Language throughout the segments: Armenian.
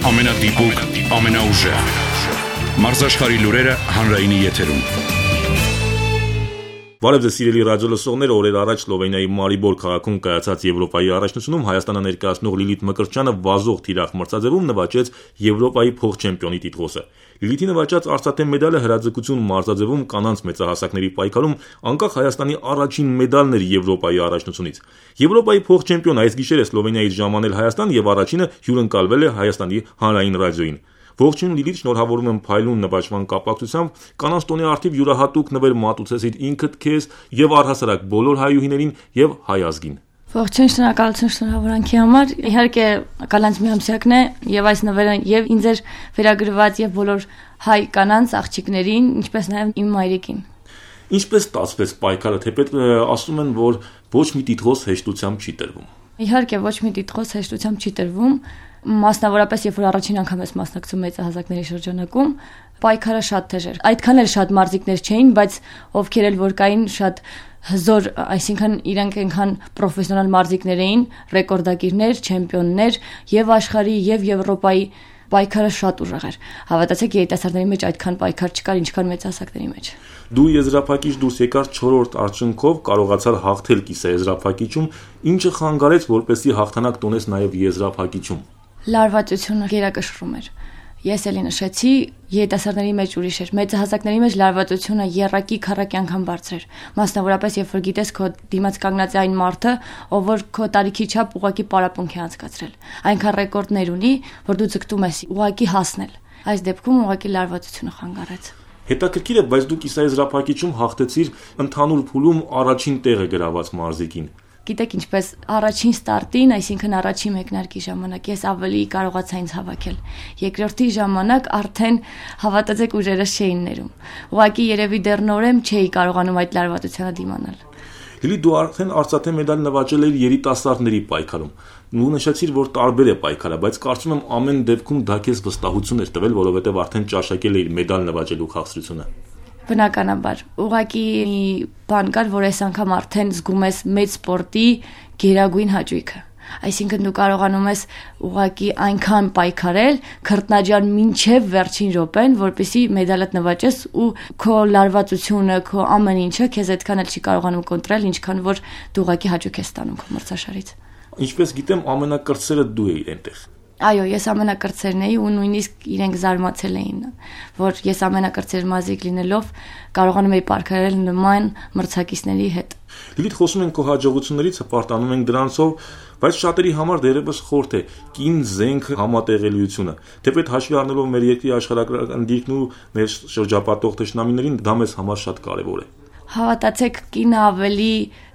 Ամենադիպուկ, ամենաուժեղ մարզաշխարհի լուրերը հանրայինի եթերում։ Բարև ձեզ սիրելի ռադիո լսողներ, օրեր առաջ Սլովենիայի Մարիբոր քաղաքում կայացած Եվրոպայի առաջնությունում Հայաստանը ներկայացնող Լիլիթ Մկրտչյանը վազող թիրախ մրցաձևում նվաճեց Եվրոպայի փոխչեմպիոնի տիտղոսը։ Լիլիթի նվաճած արծաթե մեդալը հրաձգություն մարզաձևում կանանց մեծահասակների պայքարում անկախ Հայաստանի առաջին մեդալն էր Եվրոպայի առաջնությունից։ Եվրոպայի փոխչեմպիոն այս գիշերը Սլովենիայից ժամանել Հայաստան եւ առաջինը հյուրընկալվել է Հայաստանի հանրային ռադիոյին։ Ողջույն Լիլիթ, շնորհավորում եմ փայլուն նվաճման կապակցությամբ, կանանց տոնի արդիվ յուրահատուկ նվեր մատուցեցիր ինքդ քեզ եւ առհասարակ բոլոր հայուհիներին եւ հայ ազգին։ Ողջույն, շնորհակալություն շնորհավորանքի համար։ Իհարկե, կանանց միամսյակն է եւ այս նվերը եւ ինձ էր վերագրված եւ բոլոր հայ կանանց աղջիկներին, ինչպես նաեւ իմ մայրիկին։ Ինչպես ստացվեց պայքարը, թեպետ ասում են, որ ոչ մի տիտղոս հեշտությամբ չի տրվում։ Իհարկե, ոչ մի տիտղոս հեշտությամբ չի տրվում, մասնավորապես երբ որ առաջին անգամ ես մասնակցում մեծահասակների շրջանակում, պայքարը շատ թեժ էր։ Այդքան էլ շատ մարզիկներ չէին, բայց ովքեր էլ որ կային շատ հզոր, այսինքն իրենք այնքան պրոֆեսիոնալ մարզիկներ էին, ռեկորդակիրներ, չեմպիոններ եւ աշխարհի եւ Եվրոպայի պայքարը շատ ուժեղ էր։ Հավատացեք, երիտասարդների մեջ այդքան պայքար չկար, ինչքան մեծահասակների մեջ։ Դու եզրափակիչ դուրս եկար 4-րդ արդյունքով, կարողացար հաղթել կիսաեզրափակիչում, ինչը խանգարեց, որպեսզի հաղթանակ տոնես նաեւ եզրափակիչում։ Լարվածությունը գերակշռում էր։ Ես էլի նշեցի, երիտասարդների մեջ ուրիշ էր, մեծահասակների մեջ լարվածությունը եռակի քառակի անգամ բարձր էր։ Մասնավորապես երբ որ գիտես քո դիմաց կանգնած է այն մարդը, ով որ քո տարիքի չափ ուղակի պարապմունք է անցկացրել։ Այնքան ռեկորդներ ունի, որ դու ձգտում ես ուղակի հասնել։ Այս դեպքում ուղակի լարվածությունը խանգարեց։ Հետաքրքիր է, բայց դու կիսաեզրափակիչում հաղթեցիր ընդհանուր փուլում առաջին տեղը գրաված մարզիկին։ Գիտեք ինչպես առաջին ստարտին, այսինքն առաջին մեկնարկի ժամանակ ես ավելի կարողացա ինձ հավաքել։ Երկրորդի ժամանակ արդեն հավատացեք ուժերս չէին ներում։ Ուղղակի երևի դեռ նորեմ չէի կարողանում այդ լարվածությանը դիմանալ։ Լիլիթ, դու արդեն արծաթե մեդալ նվաճել ես երիտասարդների պայքարում։ Ու նշեցիր, որ տարբեր է պայքարը, բայց կարծում եմ ամեն դեպքում դա քեզ վստահություն էր տվել, որովհետև արդեն ճաշակել էիր մեդալ նվաճելու քաղցրությունը։ Բնականաբար, ուղղակի բան կար, որ այս անգամ արդեն զգում ես մեծ սպորտի գերագույն հաճույքը։ Այսինքն դու կարողանում ես ուղղակի այնքան պայքարել, քրտնաջան մինչև վերջին րոպեն, որպեսզի մեդալդ նվաճես ու քո լարվածությունը, քո ամեն ինչը քեզ այդքան էլ չի կարողանում կոնտրել, ինչքան որ դու ուղղակի հաճույք ես ստանում քո մրցաշարից։ Ինչպես գիտեմ, ամենակրտսերը դու էիր այնտեղ։ Այո, ես ամենակրտսերն էի ու նույնիսկ իրենք զարմացել էին, որ ես ամենակրտսեր մարզիկ լինելով կարողանում էի պայքարել նման մրցակիցների հետ։ Լիլիթ, խոսում ենք քո հաջողություններից, հպարտանում ենք դրանցով, բայց շատերի համար դերևս խորթ է կին զենք համատեղելիությունը։ Թեպետ հաշվի առնելով մեր երկրի աշխարհագրական դիրքն ու մեր շրջապատող թշնամիներին, դա մեզ համար շատ կարևոր է։ Հավատացեք, կինը ավելի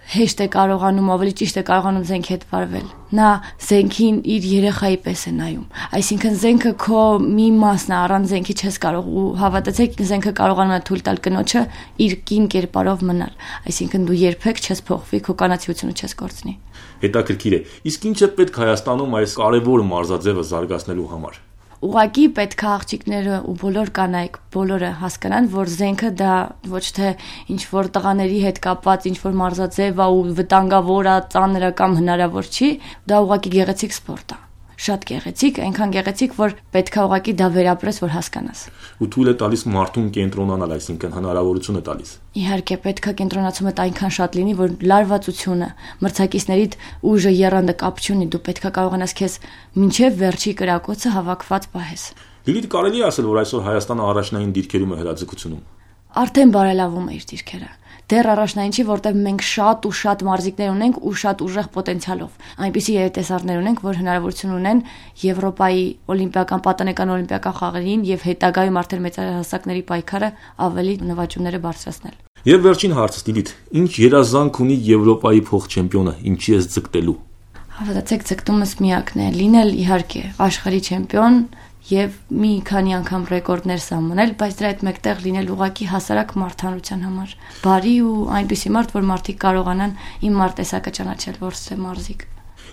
հեշտ է կարողանում, ավելի ճիշտ է կարողանում զենքի հետ վարվել։ Նա զենքին իր երեխայի պես է նայում։ Այսինքն զենքը քո մի մասն է, առանց զենքի չես կարող ու հավատացեք, զենքը կարողանում է թույլ տալ կնոջը իր կին կերպարով մնալ։ Այսինքն դու երբեք չես փոխվի, քո կանացիությունը չես կորցնի։ Հետաքրքիր է։ Իսկ ինչ է պետք Հայաստանում այս կարևոր մարզաձևը զարգացնելու համար։ Ուղղակի պետք է աղջիկները ու բոլոր կանայք բոլորը հասկանան, որ զենքը դա ոչ թե ինչ որ տղաների հետ կապված ինչ որ մարզաձև է ու վտանգավոր է, ծանր է կամ հնարավոր չի, դա ուղղակի գեղեցիկ սպորտ է։ Շատ գեղեցիկ, այնքան գեղեցիկ, որ պետք է ուղղակի դա վերապրես, որ հասկանաս։ Ու թույլ է տալիս մարդուն կենտրոնանալ, այսինքն հնարավորություն է տալիս։ Իհարկե, պետք է կենտրոնացումը այնքան շատ լինի, որ լարվածությունը, մրցակիցներիդ ուժը եռանդը կապ չունի, դու պետք է կարողանաս քեզ մինչև վերջի կրակոցը հավաքված պահես։ Լիլիթ, կարելի է ասել, որ այսօր Հայաստանը առաջնային դիրքերում է հրաձգությունում։ Արդեն բարելավում է իր դիրքերը։ Դեռ առաջնային չի, որտեղ մենք շատ ու շատ մարզիկներ ունենք ու շատ ուժեղ պոտենցիալով։ Այնպիսի երիտասարդներ ունենք, որ հնարավորություն ունեն Եվրոպայի օլիմպիական, պատանեկան օլիմպիական խաղերին եւ հետագայում արդեն մեծահասակների պայքարը ավելի նվաճումները բարձրացնել։ Եվ վերջին հարցը, Լիլիթ, ինչ երազանք ունի Եվրոպայի փոխչեմպիոնը, ինչի ես ձգտելու։ Հավատացեք, ձգտումս միակն է՝ լինել իհարկե աշխարհի չեմպիոն եւ մի քանի անգամ ռեկորդներ սահմանել, բայց դրա հետ մեկտեղ լինել ուղակի հասարակ մարդանության համար։ Բարի ու այնպիսի մարդ, որ մարդիկ կարողանան իմ մարտեսակը ճանաչել, որ սե մարզիկ։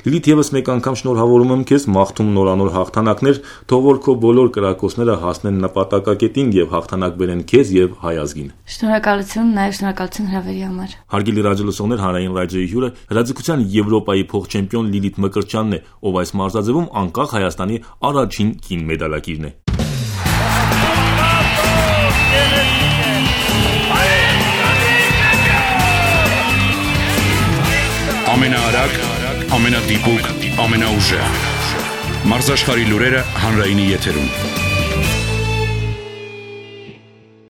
Լիլիթ, եւս մեկ անգամ շնորհավորում եմ քեզ, մաղթում նորանոր հաղթանակներ, թող որ քո բոլոր կրակոցները հասնեն նպատակակետին եւ հաղթանակ բերեն քեզ եւ հայ ազգին։ Շնորհակալություն, նաեւ շնորհակալություն հրավերի համար։ Հարգելի ռադիոլսողներ, Հանրային ռադիոյի հյուրը հրաձգության Եվրոպայի փոխ-չեմպիոն Լիլիթ Մկրտչյանն է, ով այս մարզաձևում անկախ Հայաստանի առաջին կին մեդալակիրն է։ Ամենաարագ, ամենադիպուկ, ամենաուժեղ։ Մարզաշխարհի լուրերը հանրայինի եթերում։